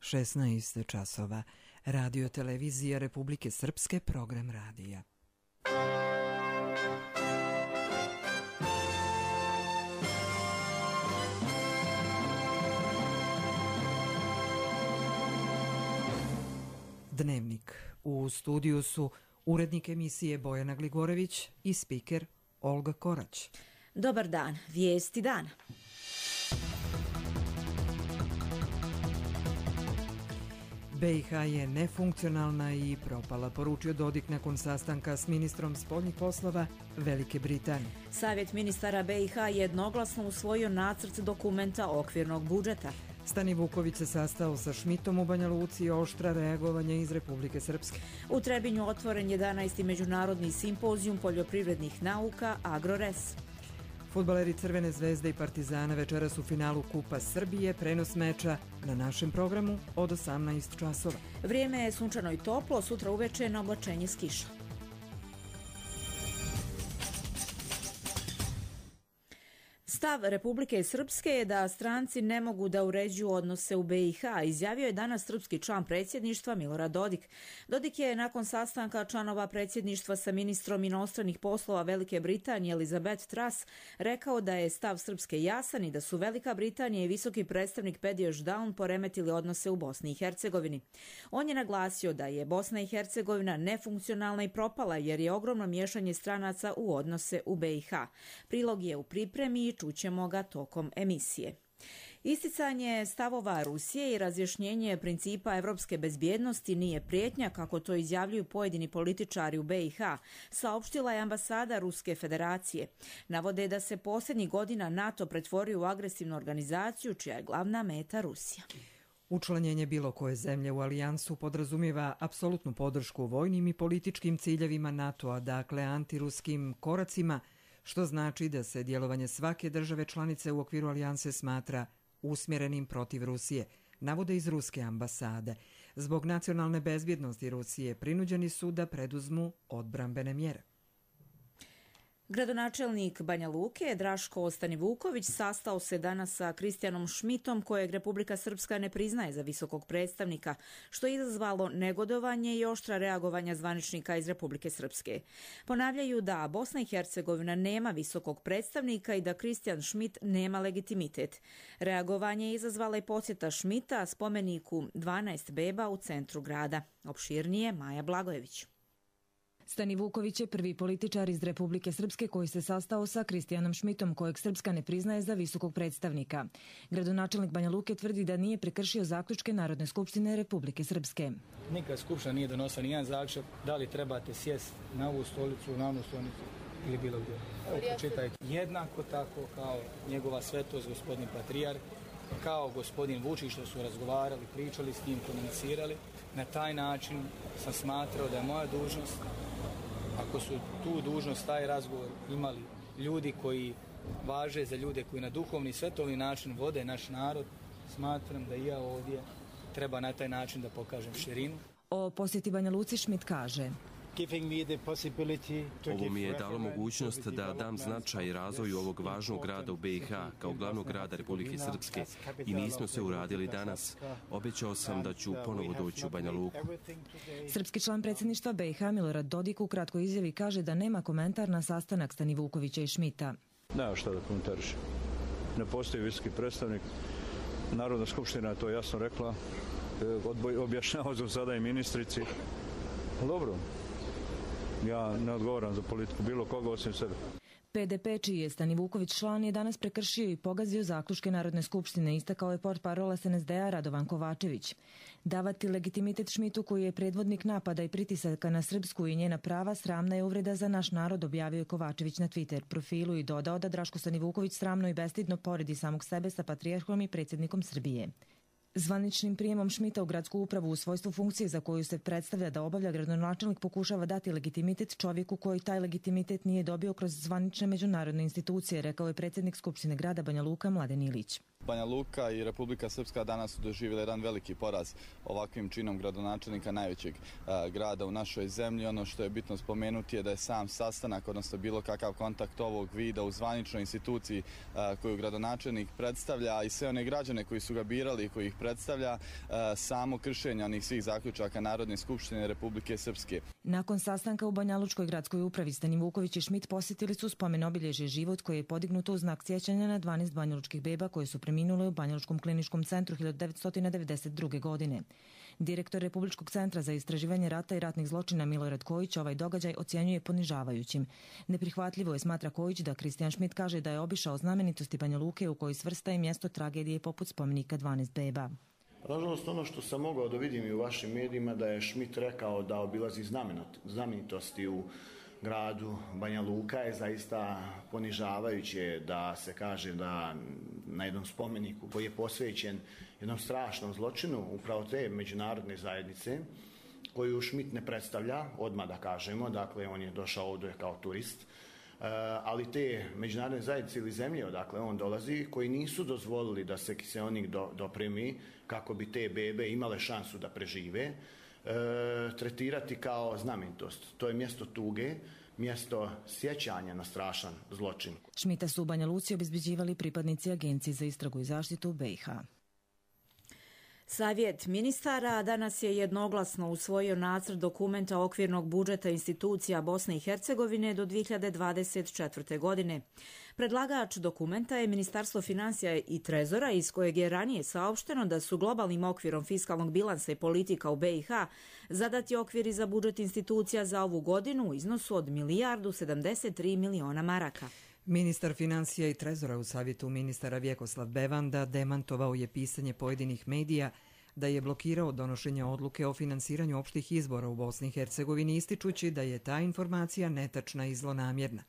16 časova. Radio televizija Republike Srpske, program radija. Dnevnik. U studiju su urednik emisije Bojana Gligorević i spiker Olga Korać. Dobar dan, vijesti dana. BiH je nefunkcionalna i propala, poručio Dodik nakon sastanka s ministrom spoljnih poslova Velike Britanije. Savjet ministara BiH jednoglasno usvojio nacrt dokumenta okvirnog budžeta. Stani Vuković se sastao sa Šmitom u Banja Luci i oštra reagovanja iz Republike Srpske. U Trebinju otvoren 11. međunarodni simpozijum poljoprivrednih nauka Agrores. Fudbaleri Crvene zvezde i Partizana večeras u finalu Kupa Srbije, prenos meča na našem programu od 18 časova. Vrijeme je sunčano i toplo, sutra uveče na oblačenje s kišom. Stav Republike Srpske je da stranci ne mogu da uređuju odnose u BiH, izjavio je danas srpski član predsjedništva Milorad Dodik. Dodik je nakon sastanka članova predsjedništva sa ministrom inostranih poslova Velike Britanije Elizabeth Truss rekao da je stav Srpske jasan i da su Velika Britanija i visoki predstavnik Pediš Daun poremetili odnose u Bosni i Hercegovini. On je naglasio da je Bosna i Hercegovina nefunkcionalna i propala jer je ogromno miješanje stranaca u odnose u BiH. Prilog je u pripremi i čućemo ga tokom emisije. Isticanje stavova Rusije i razjašnjenje principa evropske bezbjednosti nije prijetnja, kako to izjavljuju pojedini političari u BiH, saopštila je ambasada Ruske federacije. Navode da se posljednjih godina NATO pretvorio u agresivnu organizaciju čija je glavna meta Rusija. Učlanjenje bilo koje zemlje u alijansu podrazumijeva apsolutnu podršku vojnim i političkim ciljevima NATO-a, dakle antiruskim koracima, što znači da se djelovanje svake države članice u okviru alijanse smatra usmjerenim protiv Rusije, navode iz ruske ambasade. Zbog nacionalne bezbjednosti Rusije prinuđeni su da preduzmu odbrambene mjere. Gradonačelnik Banja Luke, Draško Stanivuković, sastao se danas sa Kristijanom Šmitom, kojeg Republika Srpska ne priznaje za visokog predstavnika, što je izazvalo negodovanje i oštra reagovanja zvaničnika iz Republike Srpske. Ponavljaju da Bosna i Hercegovina nema visokog predstavnika i da Kristijan Šmit nema legitimitet. Reagovanje je izazvala i posjeta Šmita spomeniku 12 beba u centru grada. Opširnije Maja Blagojević. Stanivuković je prvi političar iz Republike Srpske koji se sastao sa Kristijanom Šmitom, kojeg Srpska ne priznaje za visokog predstavnika. Gradonačelnik Banja Luke tvrdi da nije prekršio zaključke Narodne skupštine Republike Srpske. Nikad skupština nije donosila nijedan zaključak da li trebate sjesti na ovu stolicu, na onu stolicu ili bilo gdje. Evo, pročitajte. Jednako tako kao njegova svetost, gospodin Patrijarh, kao gospodin Vučić, što su razgovarali, pričali s njim, komunicirali. Na taj način sam smatrao da je moja dužnost, ako su tu dužnost, taj razgovor imali ljudi koji važe za ljude koji na duhovni i svetovni način vode naš narod, smatram da i ja ovdje treba na taj način da pokažem širinu. O posjeti Banja Luci Šmit kaže: Ovo mi je dalo mogućnost da dam značaj i razvoju ovog važnog grada u BiH kao glavnog grada Republike Srpske i mi smo se uradili danas. Obećao sam da ću ponovo doći u Banja Luku. Srpski član predsjedništva BiH Milorad Dodik u kratkoj izjavi kaže da nema komentar na sastanak Stanivukovića i Šmita. Nema šta da komentariš. Ne postoji visoki predstavnik. Narodna skupština je to jasno rekla. Objašnjavao sam sada i ministrici. Dobro. Ja ne odgovaram za politiku bilo koga osim sebe. PDP, čiji je Stanivuković član, je danas prekršio i pogazio zaključke Narodne skupštine, istakao je portparola SNSD-a Radovan Kovačević. Davati legitimitet Šmitu, koji je predvodnik napada i pritisaka na Srpsku i njena prava, sramna je uvreda za naš narod, objavio je Kovačević na Twitter profilu i dodao da Draško Stanivuković sramno i bestidno poredi samog sebe sa patrijarhom i predsjednikom Srbije. Zvaničnim prijemom Šmita u gradsku upravu u svojstvu funkcije za koju se predstavlja da obavlja, gradonačelnik pokušava dati legitimitet čovjeku koji taj legitimitet nije dobio kroz zvanične međunarodne institucije, rekao je predsjednik Skupštine grada Banja Luka Mladen Ilić. Banja Luka i Republika Srpska danas su doživjeli jedan veliki poraz ovakvim činom gradonačelnika najvećeg grada u našoj zemlji. Ono što je bitno spomenuti je da je sam sastanak, odnosno bilo kakav kontakt ovog vida u zvaničnoj instituciji koju gradonačelnik predstavlja i sve one građane koji su ga birali i koji ih predstavlja, samo kršenje onih svih zaključaka Narodne skupštine Republike Srpske. Nakon sastanka u Banjalučkoj gradskoj upravi Stani Vuković i Šmit posjetili su spomen obilježje Život koje je podignuto u znak sjećanja na 12 banjalučkih beba koje su preminule u Banjalučkom kliničkom centru 1992. godine. Direktor Republičkog centra za istraživanje rata i ratnih zločina Milorad Kojić ovaj događaj ocjenjuje ponižavajućim. Neprihvatljivo je, smatra Kojić, da Kristijan Šmit kaže da je obišao znamenitosti Banja Luke u kojoj svrsta i mjesto tragedije poput spomenika 12 beba. Nažalost, ono što sam mogao da vidim i u vašim medijima, da je Šmit rekao da obilazi znamenitosti u gradu Banja Luka, je zaista ponižavajuće da se kaže da na jednom spomeniku koji je posvećen jednom strašnom zločinu upravo te međunarodne zajednice, koju Šmit ne predstavlja, odmah da kažemo, dakle on je došao ovdje kao turist, ali te međunarodne zajednice ili zemlje odakle on dolazi, koji nisu dozvolili da se kiseonik dopremi kako bi te bebe imale šansu da prežive, tretirati kao znamenitost. To je mjesto tuge, mjesto sjećanja na strašan zločin. Šmita su u Banja Luci obezbeđivali pripadnici Agencije za istragu i zaštitu BiH. Savjet ministara danas je jednoglasno usvojio nacrt dokumenta okvirnog budžeta institucija Bosne i Hercegovine do 2024. godine. Predlagač dokumenta je Ministarstvo financija i trezora, iz kojeg je ranije saopšteno da su globalnim okvirom fiskalnog bilansa i politika u BiH zadati okviri za budžet institucija za ovu godinu u iznosu od 1,73 milijarde maraka. Ministar financija i trezora u savjetu ministara Vjekoslav Bevanda demantovao je pisanje pojedinih medija da je blokirao donošenje odluke o finansiranju opštih izbora u Bosni i Hercegovini, ističući da je ta informacija netačna i zlonamjerna.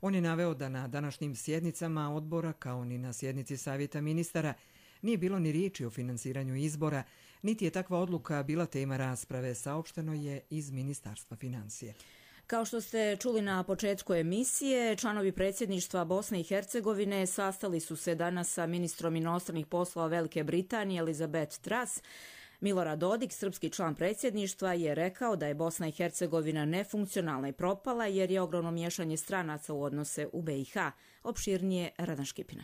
On je naveo da na današnjim sjednicama odbora, kao ni na sjednici savjeta ministara, nije bilo ni riječi o finansiranju izbora, niti je takva odluka bila tema rasprave, saopšteno je iz Ministarstva financija. Kao što ste čuli na početku emisije, članovi predsjedništva Bosne i Hercegovine sastali su se danas sa ministrom inostranih poslova Velike Britanije Elizabeth Truss. Milorad Dodik, srpski član predsjedništva, je rekao da je Bosna i Hercegovina nefunkcionalna i propala jer je ogromno miješanje stranaca u odnose u BiH. Opširnije Radan Škipina.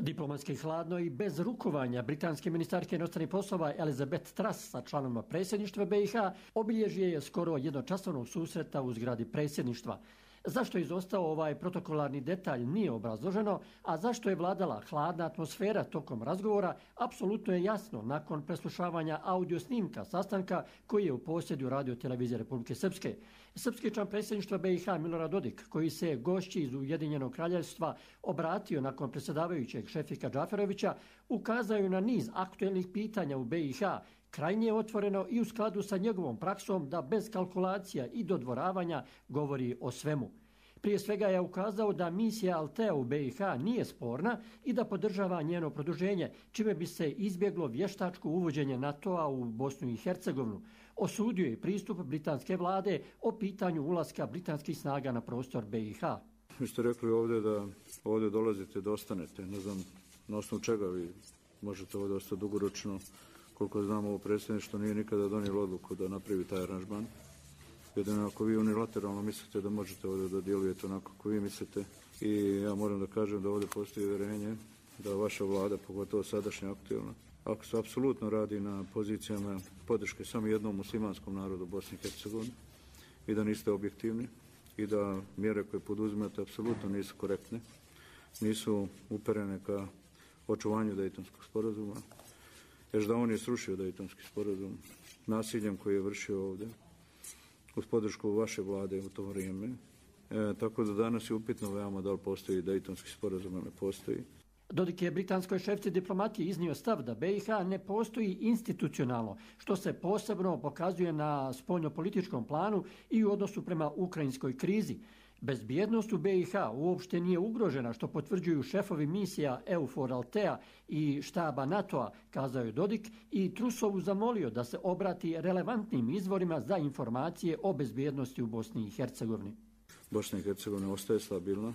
Diplomatski hladno i bez rukovanja britanske ministarke inostranih poslova Elizabeth Truss sa članovima predsjedništva BiH obilježje je skoro jednočasovnog susreta u zgradi predsjedništva. Zašto je izostao ovaj protokolarni detalj nije obrazloženo, a zašto je vladala hladna atmosfera tokom razgovora, apsolutno je jasno nakon preslušavanja audio snimka sastanka koji je u posjedu Radio-televizije Republike Srpske. Srpski član predsjedništva BiH Milorad Dodik, koji se gošći iz Ujedinjenog kraljevstva obratio nakon predsjedavajućeg Šefika Džaferovića, ukazaju na niz aktuelnih pitanja u BiH, krajnje otvoreno i u skladu sa njegovom praksom da bez kalkulacija i dodvoravanja govori o svemu. Prije svega je ukazao da misija Altea u BiH nije sporna i da podržava njeno produženje, čime bi se izbjeglo vještačko uvođenje NATO-a u Bosnu i Hercegovinu. Osudio je pristup britanske vlade o pitanju ulaska britanskih snaga na prostor BiH. Vi ste rekli ovdje da ovdje dolazite da ostanete. Ne znam na osnovu čega vi možete ovdje ostati dugoročno. Koliko znamo, ovo predsjedništvo nije nikada donijelo odluku da napravi taj aranžman. Jedino ako vi unilateralno mislite da možete ovdje da djelujete onako kako vi mislite. I ja moram da kažem da ovdje postoji uvjerenje da vaša vlada, pogotovo sadašnja aktualna, ako se apsolutno radi na pozicijama podrške samo jednom muslimanskom narodu Bosne i Hercegovine i da niste objektivni i da mjere koje poduzimate apsolutno nisu korektne, nisu uperene ka očuvanju Dejtonskog sporazuma, jer da on je srušio Dejtonski sporazum nasiljem koji je vršio ovdje uz podršku vaše vlade u to vrijeme. Tako da danas je upitno veoma da li postoji Dejtonski sporazum ili ne postoji. Dodik je britanskoj šefici diplomatije iznio stav da BiH ne postoji institucionalno, što se posebno pokazuje na spoljnopolitičkom planu i u odnosu prema ukrajinskoj krizi. Bezbjednost u BiH uopšte nije ugrožena, što potvrđuju šefovi misija EUFOR Altea i štaba NATO-a, kazao je Dodik, i Trussovu zamolio da se obrati relevantnim izvorima za informacije o bezbjednosti u Bosni i Hercegovini. Bosna i Hercegovina ostaje stabilna,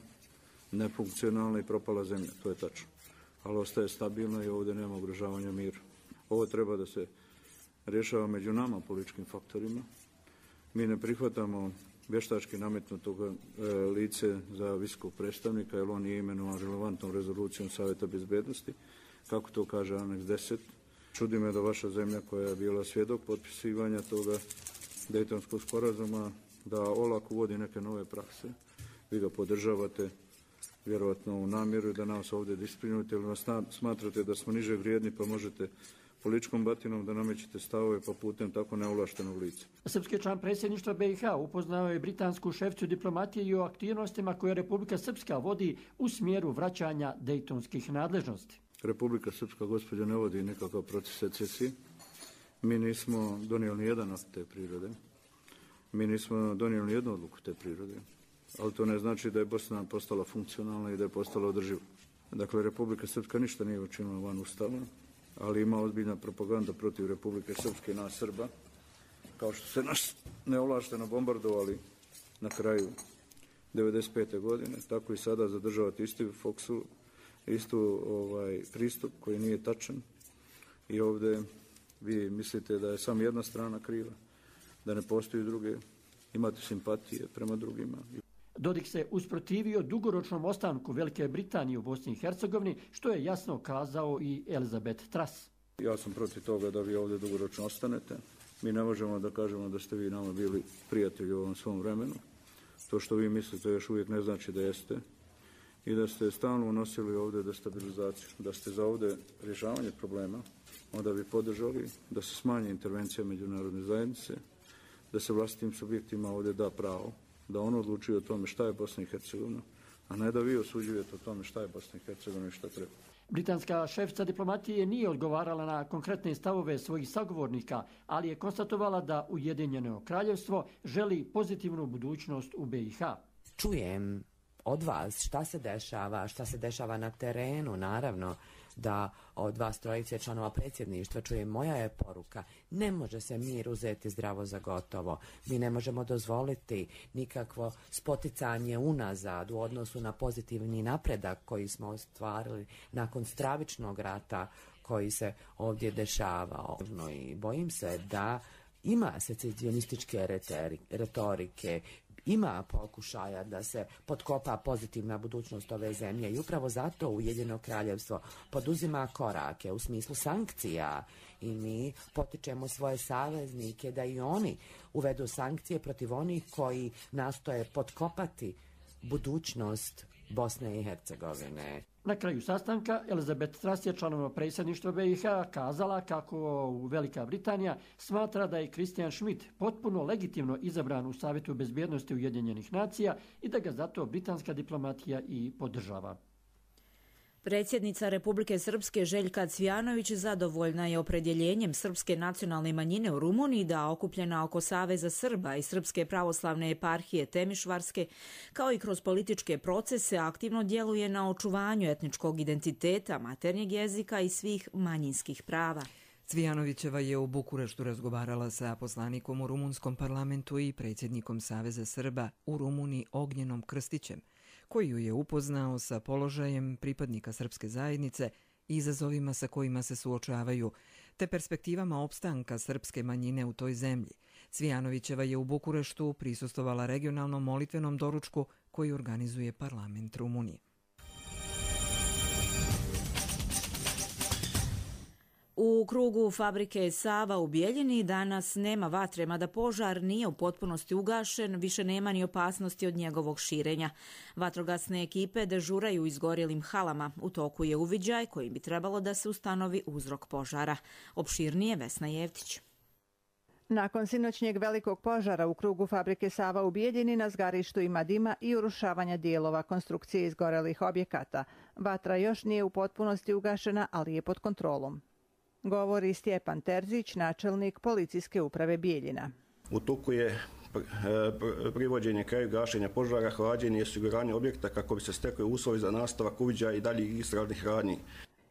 nefunkcionalna i propala zemlja, to je tačno. ali ostaje stabilno i ovdje nema ugrožavanja mira. Ovo treba da se rješava među nama političkim faktorima. Mi ne prihvatamo vještački nametnutog lice za visokog predstavnika, jer on nije imenovan relevantnom rezolucijom Savjeta bezbednosti, kako to kaže aneks 10. Čudi me da vaša zemlja koja je bila svjedok potpisivanja toga Dejtonskog sporazuma, da olako uvodi neke nove prakse. Vi ga podržavate, vjerovatno u namjeru da nas ovdje disciplinujete ili nas smatrate da smo niže vrijedni pa možete političkom batinom da namećete stavove pa putem tako neovlaštenog lica. Srpski član predsjedništva BiH upoznao je britansku šeficu diplomatije i o aktivnostima koje Republika Srpska vodi u smjeru vraćanja dejtonskih nadležnosti. Republika Srpska, gospođo, ne vodi nekakav proces secesije. Mi nismo donijeli ni jedan akt te prirode. Mi nismo donijeli ni jednu odluku te prirode. Ali to ne znači da je Bosna postala funkcionalna i da je postala održiva. Dakle, Republika Srpska ništa nije učinila van Ustava, ali ima ozbiljna propaganda protiv Republike Srpske i nas Srba, kao što se nas neovlašteno bombardovali na kraju 1995. godine, tako i sada zadržavati isti foksu, istu pristup koji nije tačan i ovdje vi mislite da je samo jedna strana kriva, da ne postoji druge, imate simpatije prema drugima. Dodik se usprotivio dugoročnom ostanku Velike Britanije u Bosni i Hercegovini, što je jasno kazao i Elizabeth Truss. Ja sam protiv toga da vi ovdje dugoročno ostanete. Mi ne možemo da kažemo da ste vi nama bili prijatelji u ovom svom vremenu. To što vi mislite još uvijek ne znači da jeste. I da ste stalno unosili ovdje destabilizaciju. Da ste za ovdje rješavanje problema, onda bi podržali da se smanje intervencija međunarodne zajednice, da se vlastitim subjektima ovdje da pravo da on odlučuje o tome šta je Bosna i Hercegovina, a ne da vi osuđujete o tome šta je Bosna i Hercegovina i šta treba. Britanska šefica diplomatije nije odgovarala na konkretne stavove svojih sagovornika, ali je konstatovala da Ujedinjeno kraljevstvo želi pozitivnu budućnost u BiH. Čujem od vas šta se dešava na terenu, naravno da od vas trojice članova predsjedništva čujem, moja je poruka, ne može se mir uzeti zdravo za gotovo. Mi ne možemo dozvoliti nikakvo spoticanje unazad u odnosu na pozitivni napredak koji smo ostvarili nakon stravičnog rata koji se ovdje dešavao. I bojim se da ima secesionističke retorike, ima pokušaja da se potkopa pozitivna budućnost ove zemlje i upravo zato Ujedinjeno kraljevstvo poduzima korake u smislu sankcija i mi potičemo svoje saveznike da i oni uvedu sankcije protiv onih koji nastoje potkopati budućnost Bosne i Hercegovine. Na kraju sastanka Elizabeth Truss je članova predsjedništva BiH kazala kako Velika Britanija smatra da je Christian Schmidt potpuno legitimno izabran u Savjetu bezbjednosti Ujedinjenih nacija i da ga zato britanska diplomatija i podržava. Predsjednica Republike Srpske Željka Cvijanović zadovoljna je opredjeljenjem srpske nacionalne manjine u Rumuniji da okupljena oko Saveza Srba i Srpske pravoslavne eparhije Temišvarske, kao i kroz političke procese, aktivno djeluje na očuvanju etničkog identiteta, maternjeg jezika i svih manjinskih prava. Cvijanovićeva je u Bukureštu razgovarala sa poslanikom u rumunskom parlamentu i predsjednikom Saveza Srba u Rumuniji Ognjenom Krstićem, koji ju je upoznao sa položajem pripadnika srpske zajednice i izazovima sa kojima se suočavaju, te perspektivama opstanka srpske manjine u toj zemlji. Cvijanovićeva je u Bukureštu prisustvovala regionalnom molitvenom doručku koji organizuje parlament Rumunije. U krugu fabrike Sava u Bijeljini danas nema vatre, mada požar nije u potpunosti ugašen, više nema ni opasnosti od njegovog širenja. Vatrogasne ekipe dežuraju u izgorjelim halama. U toku je uviđaj kojim bi trebalo da se ustanovi uzrok požara. Opširnije Vesna Jevtić. Nakon sinoćnjeg velikog požara u krugu fabrike Sava u Bijeljini na zgarištu ima dima i urušavanja dijelova konstrukcije izgorelih objekata. Vatra još nije u potpunosti ugašena, ali je pod kontrolom. Govori Stjepan Terzić, načelnik policijske uprave Bijeljina. U toku je privođenje kraju gašenja požara, hlađenje i osiguranje objekta kako bi se stekli uslovi za nastavak uviđaja i daljih istražnih radnji.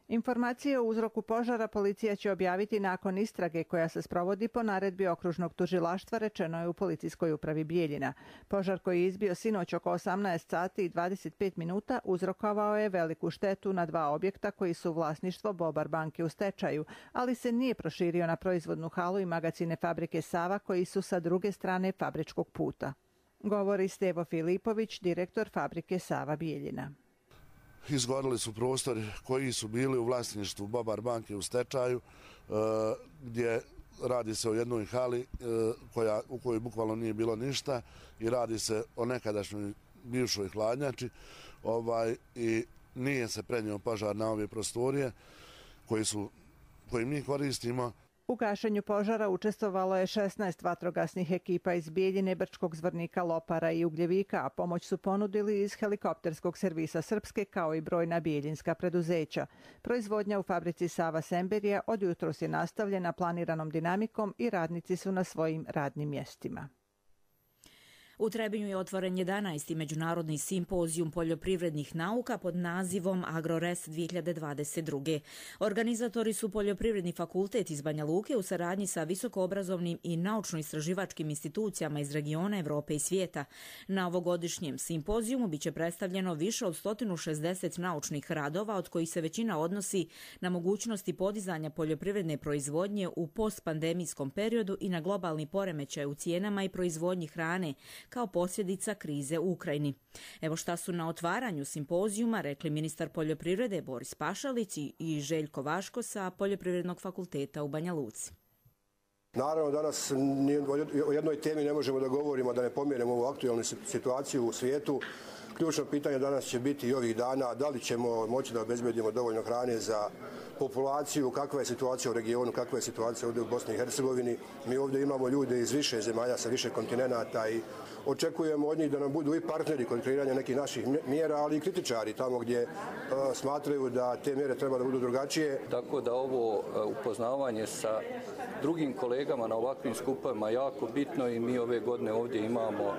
Informacije o uzroku požara policija će objaviti nakon istrage koja se sprovodi po naredbi okružnog tužilaštva, rečeno je u policijskoj upravi Bijeljina. Požar koji je izbio sinoć oko 18 sati i 25 minuta uzrokovao je veliku štetu na 2 objekta koji su vlasništvo Bobar banke u stečaju, ali se nije proširio na proizvodnu halu i magacine fabrike Sava koji su sa druge strane fabričkog puta. Govori Stevo Filipović, direktor fabrike Sava Bijeljina. Izgorili su prostori koji su bili u vlasništvu Bobar banke u stečaju, gdje radi se o jednoj hali u kojoj bukvalno nije bilo ništa i radi se o nekadašnjoj bivšoj hladnjači i nije se prenio požar na ove prostorije koje mi koristimo. U gašenju požara učestvovalo je 16 vatrogasnih ekipa iz Bijeljine, Brčkog, Zvornika, Lopara i Ugljevika, a pomoć su ponudili iz helikopterskog servisa Srpske kao i brojna bijeljinska preduzeća. Proizvodnja u fabrici Sava Semberija od jutros je nastavljena planiranom dinamikom i radnici su na svojim radnim mjestima. U Trebinju je otvoren 11. međunarodni simpozijum poljoprivrednih nauka pod nazivom AgroRes 2022. Organizatori su Poljoprivredni fakultet iz Banja Luke u saradnji sa visokoobrazovnim i naučno-istraživačkim institucijama iz regiona, Evrope i svijeta. Na ovogodišnjem simpozijumu biće predstavljeno više od 160 naučnih radova, od kojih se većina odnosi na mogućnosti podizanja poljoprivredne proizvodnje u postpandemijskom periodu i na globalni poremećaj u cijenama i proizvodnji hrane, kao posljedica krize u Ukrajini. Evo šta su na otvaranju simpozijuma rekli ministar poljoprivrede Boris Pašalić i Željko Vaško sa Poljoprivrednog fakulteta u Banja Luci. Naravno, danas o jednoj temi ne možemo da govorimo, da ne pomenemo ovu aktualnu situaciju u svijetu. Ključno pitanje danas će biti i ovih dana da li ćemo moći da obezbedimo dovoljno hrane za populaciju, kakva je situacija u regionu, kakva je situacija ovdje u Bosni i Hercegovini. Mi ovdje imamo ljude iz više zemalja, sa više kontinenata i očekujemo od njih da nam budu i partneri kod kreiranja nekih naših mjera, ali i kritičari tamo gdje smatraju da te mjere treba da budu drugačije. Tako da ovo upoznavanje sa drugim kolegama na ovakvim skupovima jako bitno i mi ove godine ovdje imamo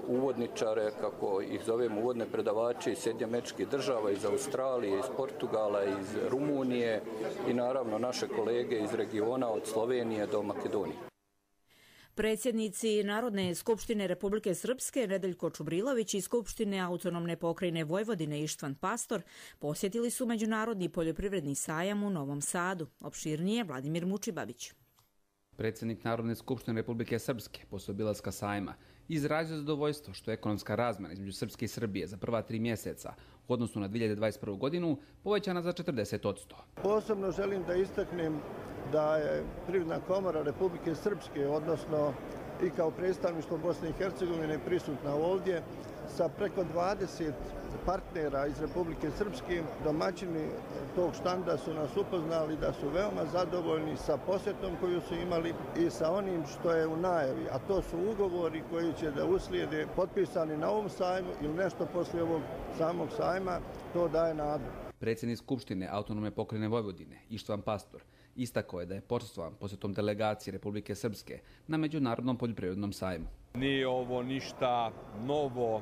uvodničare, kako ih zovemo, uvodne predavače iz Sjedinjenih Američkih Država, iz Australije, iz Portugala, iz Rumunije i naravno naše kolege iz regiona od Slovenije do Makedonije. Predsjednici Narodne skupštine Republike Srpske Nedeljko Čubrilović i Skupštine autonomne pokrajine Vojvodine Ištvan Pastor posjetili su Međunarodni poljoprivredni sajam u Novom Sadu. Opširnije Vladimir Mučibabić. Predsjednik Narodne skupštine Republike Srpske posle obilaska sajma izrazio zadovoljstvo što je ekonomska razmjena između Srpske i Srbije za prva 3 mjeseca u odnosu na 2021. godinu povećana za 40%. Posebno želim da istaknem da je Privredna komora Republike Srpske, odnosno i kao predstavništvo Bosne i Hercegovine prisutna ovdje sa preko 20 partnera iz Republike Srpske. Domaćini tog štanda su nas upoznali da su veoma zadovoljni sa posjetom koju su imali i sa onim što je u najavi, a to su ugovori koji će da uslijede potpisani na ovom sajmu ili nešto poslije ovog samog sajma. To daje nadu. Predsjednik Skupštine autonomne pokrajine Vojvodine Ištvan Pastor istakao je da je počastvovan posjetom delegacije Republike Srpske na Međunarodnom poljoprivrednom sajmu. Nije ovo ništa novo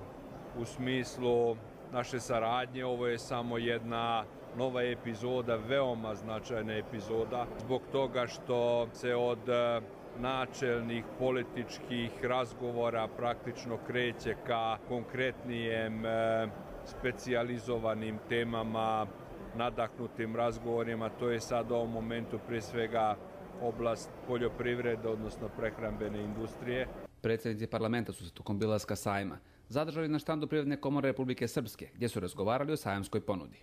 u smislu naše saradnje, ovo je samo jedna nova epizoda, veoma značajna epizoda, zbog toga što se od načelnih političkih razgovora praktično kreće ka konkretnijem specijalizovanim temama, nadahnutim razgovorima. To je sad u ovom momentu prije svega oblast poljoprivrede, odnosno prehrambene industrije. Predsjednici parlamenta su se tokom obilaska sajma zadržali na štandu Privredne komore Republike Srpske, gdje su razgovarali o sajamskoj ponudi.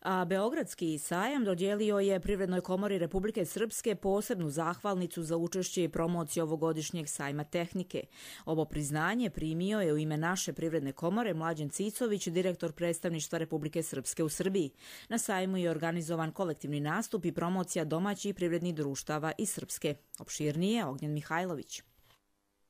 A Beogradski sajam dodijelio je Privrednoj komori Republike Srpske posebnu zahvalnicu za učešće i promociju ovogodišnjeg sajma tehnike. Ovo priznanje primio je u ime naše Privredne komore Mlađen Cicović, direktor predstavništva Republike Srpske u Srbiji. Na sajmu je organizovan kolektivni nastup i promocija domaćih privrednih društava iz Srpske. Opširnije Ognjen Mihajlović.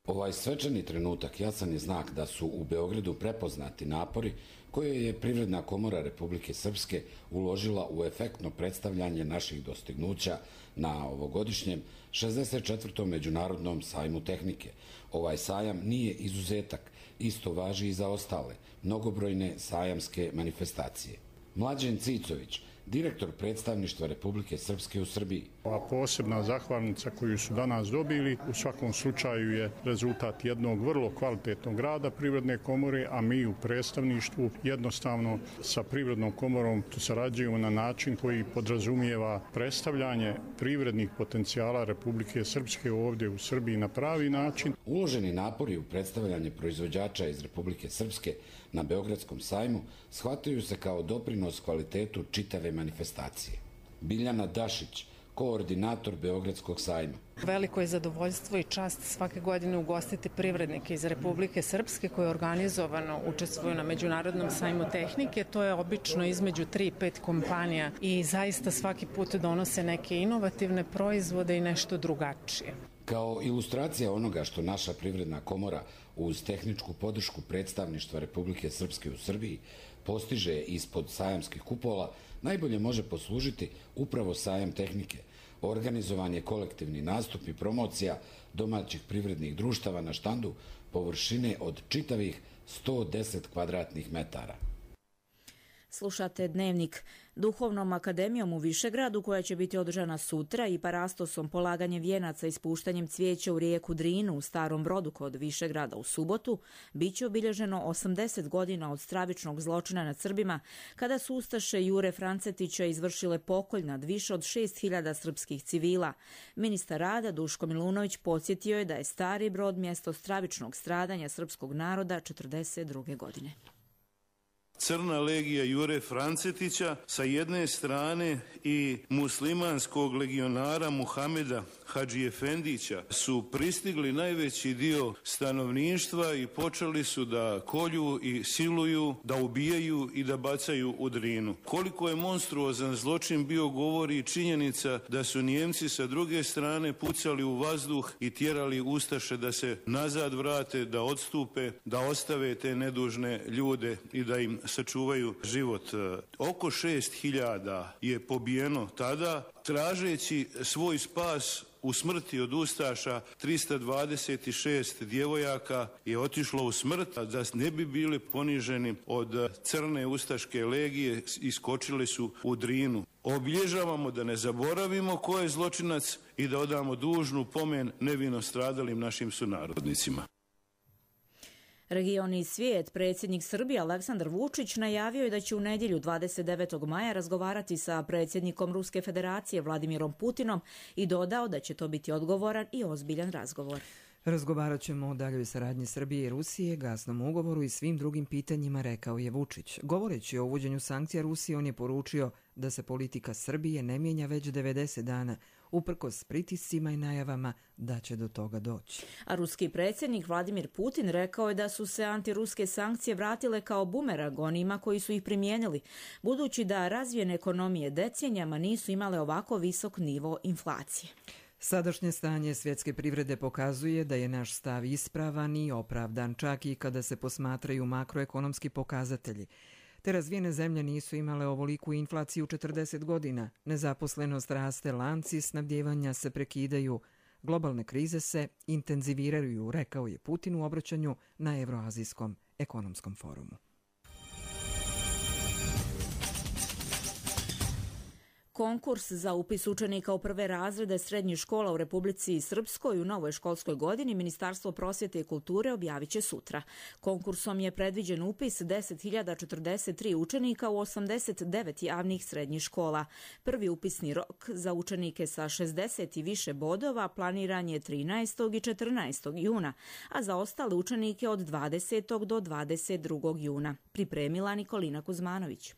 Ovaj svečani trenutak jasan je znak da su u Beogradu prepoznati napori koje je Privredna komora Republike Srpske uložila u efektno predstavljanje naših dostignuća na ovogodišnjem 64. Međunarodnom sajmu tehnike. Ovaj sajam nije izuzetak, isto važi i za ostale mnogobrojne sajamske manifestacije. Mlađen Cicović, direktor predstavništva Republike Srpske u Srbiji. Ova posebna zahvalnica koju su danas dobili u svakom slučaju je rezultat jednog vrlo kvalitetnog rada Privredne komore, a mi u predstavništvu jednostavno sa Privrednom komorom sarađujemo na način koji podrazumijeva predstavljanje privrednih potencijala Republike Srpske ovdje u Srbiji na pravi način. Uloženi napori u predstavljanje proizvođača iz Republike Srpske na Beogradskom sajmu shvataju se kao doprinos kvalitetu čitave manifestacije. Biljana Dašić, koordinator Beogradskog sajma. Veliko je zadovoljstvo i čast svake godine ugostiti privrednike iz Republike Srpske koji organizovano učestvuju na Međunarodnom sajmu tehnike. To je obično između 3 i 5 kompanija i zaista svaki put donose neke inovativne proizvode i nešto drugačije. Kao ilustracija onoga što naša Privredna komora uz tehničku podršku predstavništva Republike Srpske u Srbiji postiže ispod sajamskih kupola, najbolje može poslužiti upravo sajam tehnike, organizovanje kolektivni nastup i promocija domaćih privrednih društava na štandu površine od čitavih 110 kvadratnih metara. Slušate Dnevnik. Duhovnom akademijom u Višegradu, koja će biti održana sutra, i parastosom, polaganje vijenaca i spuštanjem cvijeća u rijeku Drinu u Starom Brodu kod Višegrada u subotu, bit će obilježeno 80 godina od stravičnog zločina nad Srbima, kada su ustaše Jure Francetića izvršile pokolj nad više od 6.000 srpskih civila. Ministar rada Duško Milunović podsjetio je da je Stari Brod mjesto stravičnog stradanja srpskog naroda 1942. godine. Crna legija Jure Francetića sa jedne strane i muslimanskog legionara Muhameda Hadži Efendića su pristigli najveći dio stanovništva i počeli su da kolju i siluju, da ubijaju i da bacaju u Drinu. Koliko je monstruozan zločin bio govori i činjenica da su Nijemci sa druge strane pucali u vazduh i tjerali ustaše da se nazad vrate, da odstupe, da ostave te nedužne ljude i da im sačuvaju život. Oko 6.000 je pobijeno tada, tražeći svoj spas u smrti od ustaša. 326 djevojaka je otišlo u smrt, a da ne bi bili poniženi od crne ustaške legije, iskočili su u Drinu. Obilježavamo da ne zaboravimo ko je zločinac i da odamo dužnu pomen nevino stradalim našim sunarodnicima. Region i svijet. Predsjednik Srbije Aleksandar Vučić najavio je da će u nedjelju 29. maja razgovarati sa predsjednikom Ruske federacije Vladimirom Putinom i dodao da će to biti odgovoran i ozbiljan razgovor. Razgovarat ćemo o daljoj saradnji Srbije i Rusije, gasnom ugovoru i svim drugim pitanjima, rekao je Vučić. Govoreći o uvođenju sankcija Rusiji, on je poručio da se politika Srbije ne mijenja već 90 dana, uprkos pritiscima i najavama da će do toga doći. A ruski predsjednik Vladimir Putin rekao je da su se antiruske sankcije vratile kao bumerang onima koji su ih primijenili, budući da razvijene ekonomije decenijama nisu imale ovako visok nivo inflacije. Sadašnje stanje svjetske privrede pokazuje da je naš stav ispravan i opravdan, čak i kada se posmatraju makroekonomski pokazatelji. Te razvijene zemlje nisu imale ovoliku inflaciju 40 godina. Nezaposlenost raste, lanci snabdijevanja se prekidaju, globalne krize se intenziviraju, rekao je Putin u obraćanju na Evroazijskom ekonomskom forumu. Konkurs za upis učenika u prve razrede srednjih škola u Republici Srpskoj u novoj školskoj godini Ministarstvo prosvjete i kulture objavit će sutra. Konkursom je predviđen upis 10.043 učenika u 89 javnih srednjih škola. Prvi upisni rok za učenike sa 60 i više bodova planiran je 13. i 14. juna, a za ostale učenike od 20. do 22. juna. Pripremila Nikolina Kuzmanović.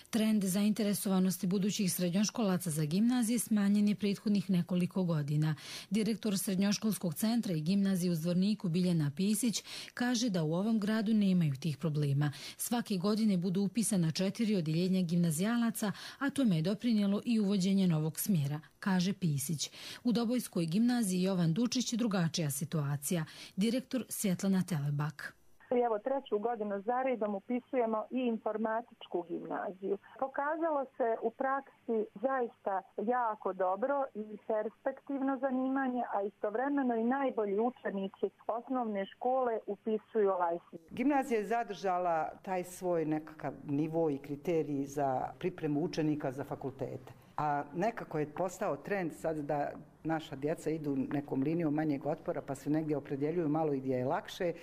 Trend zainteresovanosti budućih srednjoškolaca za gimnazije smanjen je prethodnih nekoliko godina. Direktor Srednjoškolskog centra i gimnazije u Zvorniku Biljana Pisić kaže da u ovom gradu nemaju tih problema. Svake godine budu upisana 4 odjeljenja gimnazijalaca, a tome je doprinijelo i uvođenje novog smjera, kaže Pisić. U Dobojskoj gimnaziji Jovan Dučić drugačija situacija. Direktor Svjetlana Telebak. I evo 3. godinu za redom upisujemo i informatičku gimnaziju. Pokazalo se u praksi zaista jako dobro i perspektivno zanimanje, a istovremeno i najbolji učenici osnovne škole upisuju ovaj smjer. Gimnazija je zadržala taj svoj nekakav nivo i kriterij za pripremu učenika za fakultete. A nekako je postao trend sad da naša djeca idu nekom linijom manjeg otpora pa se negdje opredjeljuju malo i gdje je lakše.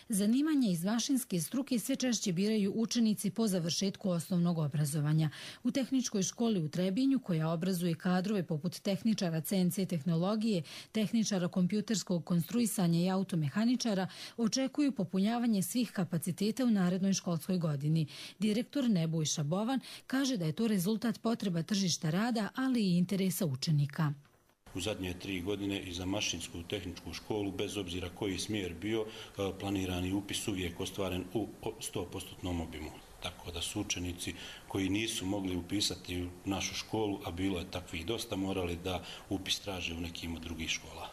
Zanimanje iz mašinske struke sve češće biraju učenici po završetku osnovnog obrazovanja. U tehničkoj školi u Trebinju, koja obrazuje kadrove poput tehničara CNC tehnologije, tehničara kompjuterskog konstruisanja i automehaničara, očekuju popunjavanje svih kapaciteta u narednoj školskoj godini. Direktor Nebojša Bovan kaže da je to rezultat potreba tržišta rada, ali i interesa učenika. U zadnje 3 godine i za mašinsku tehničku školu, bez obzira koji smjer bio, planirani upis uvijek ostvaren u 100% obimu. Tako da su učenici koji nisu mogli upisati u našu školu, a bilo je takvih dosta, morali da upis traže u nekim od drugih škola.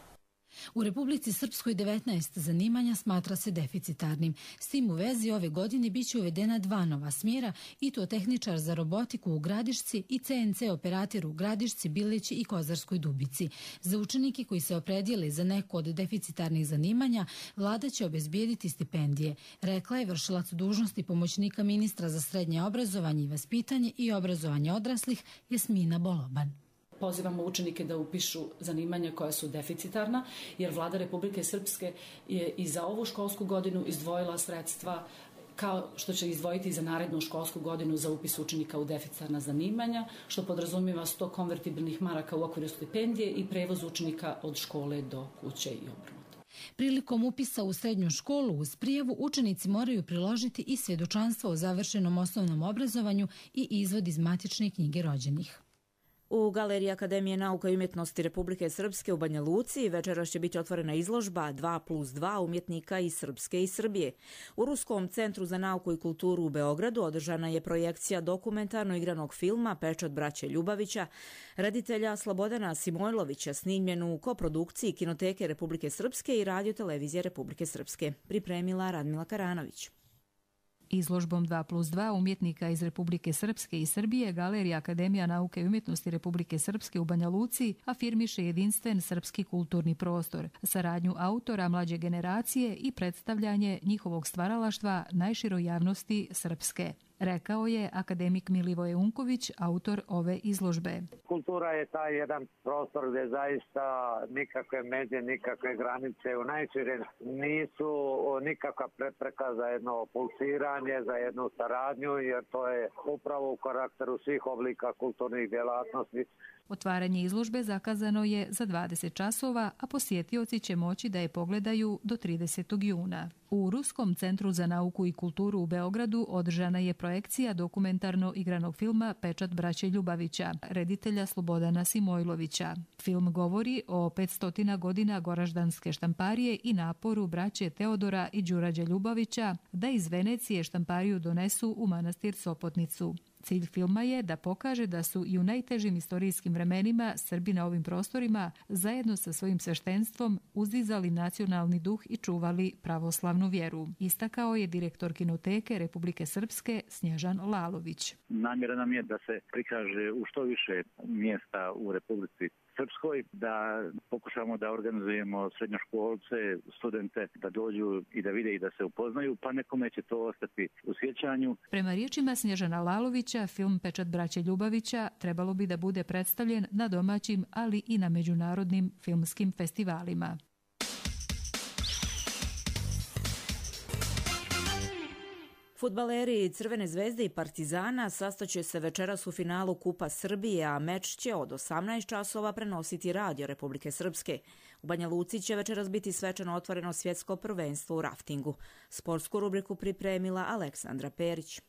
U Republici Srpskoj 19 zanimanja smatra se deficitarnim. S tim u vezi ove godine biće uvedena 2 nova smjera, i to tehničar za robotiku u Gradišci i CNC operator u Gradišci, Bileći i Kozarskoj Dubici. Za učenike koji se opredijele za neko od deficitarnih zanimanja, vlada će obezbijediti stipendije, rekla je vršilac dužnosti pomoćnika ministra za srednje obrazovanje i vaspitanje i obrazovanje odraslih Jasmina Boloban. Pozivamo učenike da upišu zanimanja koja su deficitarna, jer vlada Republike Srpske je i za ovu školsku godinu izdvojila sredstva kao što će izdvojiti za narednu školsku godinu za upis učenika u deficitarna zanimanja, što podrazumijeva 100 konvertibilnih maraka u okviru stipendije i prevoz učenika od škole do kuće i obrnuto. Prilikom upisa u srednju školu uz prijavu učenici moraju priložiti i svjedočanstvo o završenom osnovnom obrazovanju i izvod iz matične knjige rođenih. U Galeriji Akademije nauka i umjetnosti Republike Srpske u Banja Luci večeras će biti otvorena izložba 2+2 umjetnika iz Srpske i Srbije. U Ruskom centru za nauku i kulturu u Beogradu održana je projekcija dokumentarno-igranog filma Pečat braće Ljubavića, reditelja Slobodana Simojlovića, snimljenu u koprodukciji Kinoteke Republike Srpske i Radio-televizije Republike Srpske. Pripremila Radmila Karanović. Izložbom 2+2 umjetnika iz Republike Srpske i Srbije Galerija Akademija nauke i umjetnosti Republike Srpske u Banja Luci afirmiše jedinstven srpski kulturni prostor, saradnju autora mlađe generacije i predstavljanje njihovog stvaralaštva najširoj javnosti Srpske. Rekao je akademik Milivoje Unković, autor ove izložbe. Kultura je taj jedan prostor gdje zaista nikakve međe, nikakve granice u najširem nisu nikakva prepreka za jedno pulsiranje, za jednu saradnju, jer to je upravo u karakteru svih oblika kulturnih djelatnosti. Otvaranje izložbe zakazano je za 20 časova, a posjetioci će moći da je pogledaju do 30. juna. U Ruskom centru za nauku i kulturu u Beogradu održana je projekcija dokumentarno-igranog filma Pečat braće Ljubavića, reditelja Slobodana Simojlovića. Film govori o 500 godina goraždanske štamparije i naporu braće Teodora i Đurađa Ljubavića da iz Venecije štampariju donesu u manastir Sopotnicu. Cilj filma je da pokaže da su i u najtežim istorijskim vremenima Srbi na ovim prostorima zajedno sa svojim sveštenstvom uzdizali nacionalni duh i čuvali pravoslavnu vjeru. Istakao je direktor Kinoteke Republike Srpske Snježan Lalović. Namjera nam je da se prikaže u što više mjesta u Republici Srpskoj, da pokušamo da organizujemo srednjoškolce, studente da dođu i da vide i da se upoznaju, pa nekome će to ostati u sjećanju. Prema riječima Snježana Lalovića, film Pečat braće Ljubavića trebalo bi da bude predstavljen na domaćim, ali i na međunarodnim filmskim festivalima. Fudbaleri Crvene zvezde i Partizana sastaće se večeras u finalu Kupa Srbije, a meč će od 18 časova prenositi Radio Republike Srpske. U Banja Luci će večeras biti svečano otvoreno svjetsko prvenstvo u raftingu. Sportsku rubriku pripremila Aleksandra Perić.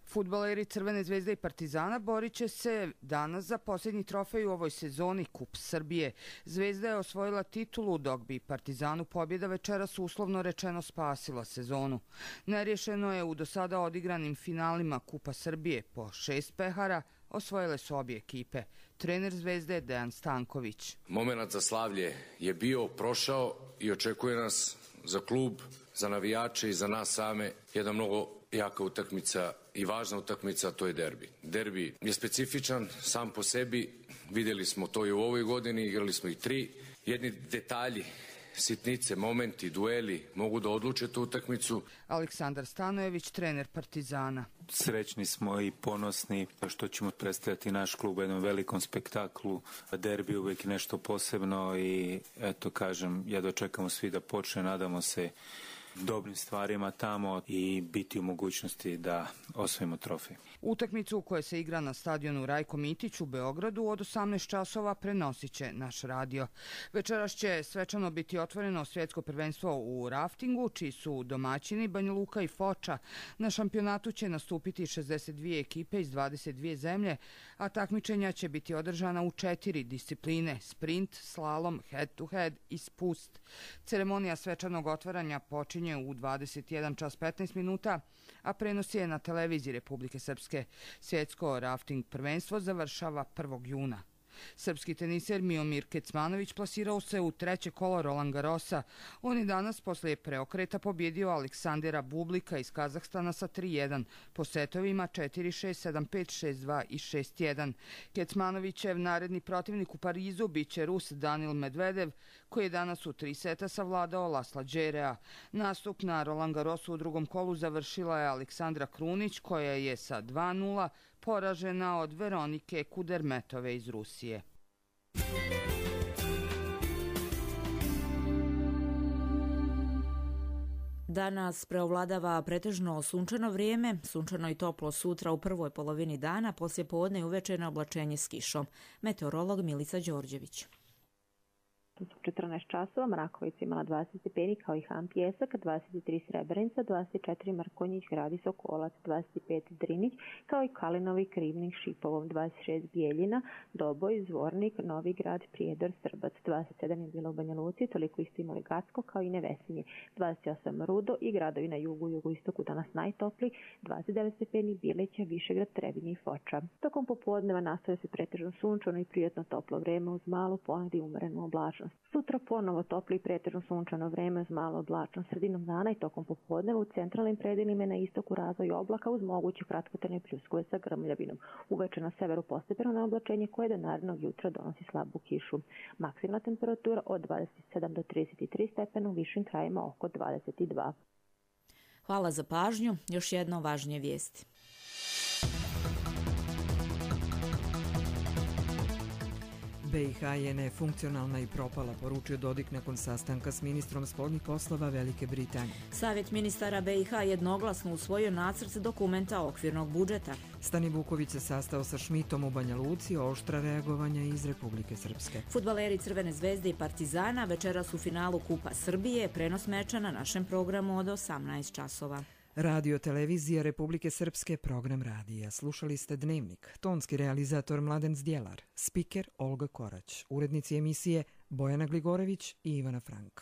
Fudbaleri Crvene zvezde i Partizana borit će se danas za posljednji trofej u ovoj sezoni Kup Srbije. Zvezda je osvojila titulu, dok bi Partizanu pobjeda večeras uslovno rečeno spasila sezonu. Nerješeno je u do sada odigranim finalima Kupa Srbije. Po 6 pehara osvojile su obje ekipe. Trener Zvezde Dejan Stanković. Momenat za slavlje je bio, prošao i očekuje nas za klub, za navijače i za nas same jedna mnogo jaka utakmica i važna utakmica, to je derbi. Derbi je specifičan sam po sebi, vidjeli smo to i u ovoj godini, igrali smo ih 3. Jedni detalji, sitnice, momenti, dueli mogu da odluče tu utakmicu. Aleksandar Stanojević, trener Partizana. Srećni smo i ponosni što ćemo predstavljati naš klub u jednom velikom spektaklu. Derbi je uvijek nešto posebno i eto kažem, jedva čekamo svi da počne, nadamo se dobrim stvarima tamo i biti u mogućnosti da osvojimo trofej. Utakmicu koja se igra na stadionu Rajko Mitić u Beogradu od 18 časova prenosit će naš radio. Večeras će svečano biti otvoreno svjetsko prvenstvo u raftingu, čiji su domaćini Banja Luka i Foča. Na šampionatu će nastupiti 62 ekipe iz 22 zemlje, a takmičenja će biti održana u 4 discipline: sprint, slalom, head to head i spust. Ceremonija svečanog otvaranja počinje u 21 čas 15 minuta, a prenos je na televiziji Republike Srpske. Svjetsko rafting prvenstvo završava 1. juna. Srpski teniser Miomir Kecmanović plasirao se u 3. kolo Roland Garrosa. On je danas posle preokreta pobjedio Aleksandera Bublika iz Kazahstana sa 3-1, po setovima 4-6, 7-5, 6-2 i 6-1. Kecmanovićev naredni protivnik u Parizu biće Rus Danil Medvedev, koji je danas u 3 seta savladao Lasla Đerea. Nastup na Roland Garrosu u 2. kolu završila je Aleksandra Krunić, koja je sa 2-0 poražena od Veronike Kudermetove iz Rusije. Danas preovladava pretežno sunčano vrijeme, sunčano i toplo sutra u prvoj polovini dana, poslije podne i uveče na oblačenje s kišom. Meteorolog Milica Đorđević. U 14 časova Mrakovica imala 20 stepeni kao i Han Pjesak, 23 Srebrenica, 24 Mrkonjić, Gradi Sokolac, 25 Drinić, kao i Kalinovi, Krivnik, Šipovom, 26 Bijeljina, Doboj, Zvornik, Novi Grad, Prijedor, Srbac, 27 je bilo u Banja Luci, toliko isto imali Gacko kao i Nevesinje, 28 Rudo i gradovi na jugu i jugoistoku danas najtopli, 29 stepeni Bileća, Višegrad, Trebinje i Foča. Tokom popodneva nastavlja se pretežno sunčano i prijatno toplo vreme uz malu ponegdje i umerenu oblačnost. Sutra ponovo toplo i pretežno sunčano vreme uz malo oblačnost. Sredinom dana i tokom popodneva u centralnim predelima na istoku razvoj oblaka uz moguće kratkotrajne pljuskove sa grmljavinom. Uveče na severu postepeno na oblačenje koje do narednog jutra donosi slabu kišu. Maksimalna temperatura od 27 do 33 stepena, u višim krajima oko 22. Hvala za pažnju. Još jedno važnije vijesti. BiH je nefunkcionalna i propala, poručio Dodik nakon sastanka s ministrom spoljnih poslova Velike Britanije. Savjet ministara BiH jednoglasno usvojio nacrt dokumenta okvirnog budžeta. Stani Vuković se sastao sa Šmitom u Banja Luci, oštra reagovanja iz Republike Srpske. Fudbaleri Crvene zvezde i Partizana večeras u finalu Kupa Srbije, prenos meča na našem programu od 18 časova. Radio televizija Republike Srpske, program radija. Slušali ste Dnevnik. Tonski realizator Mladen Zdjelar, spiker Olga Korać, urednici emisije Bojana Gligorević i Ivana Frank.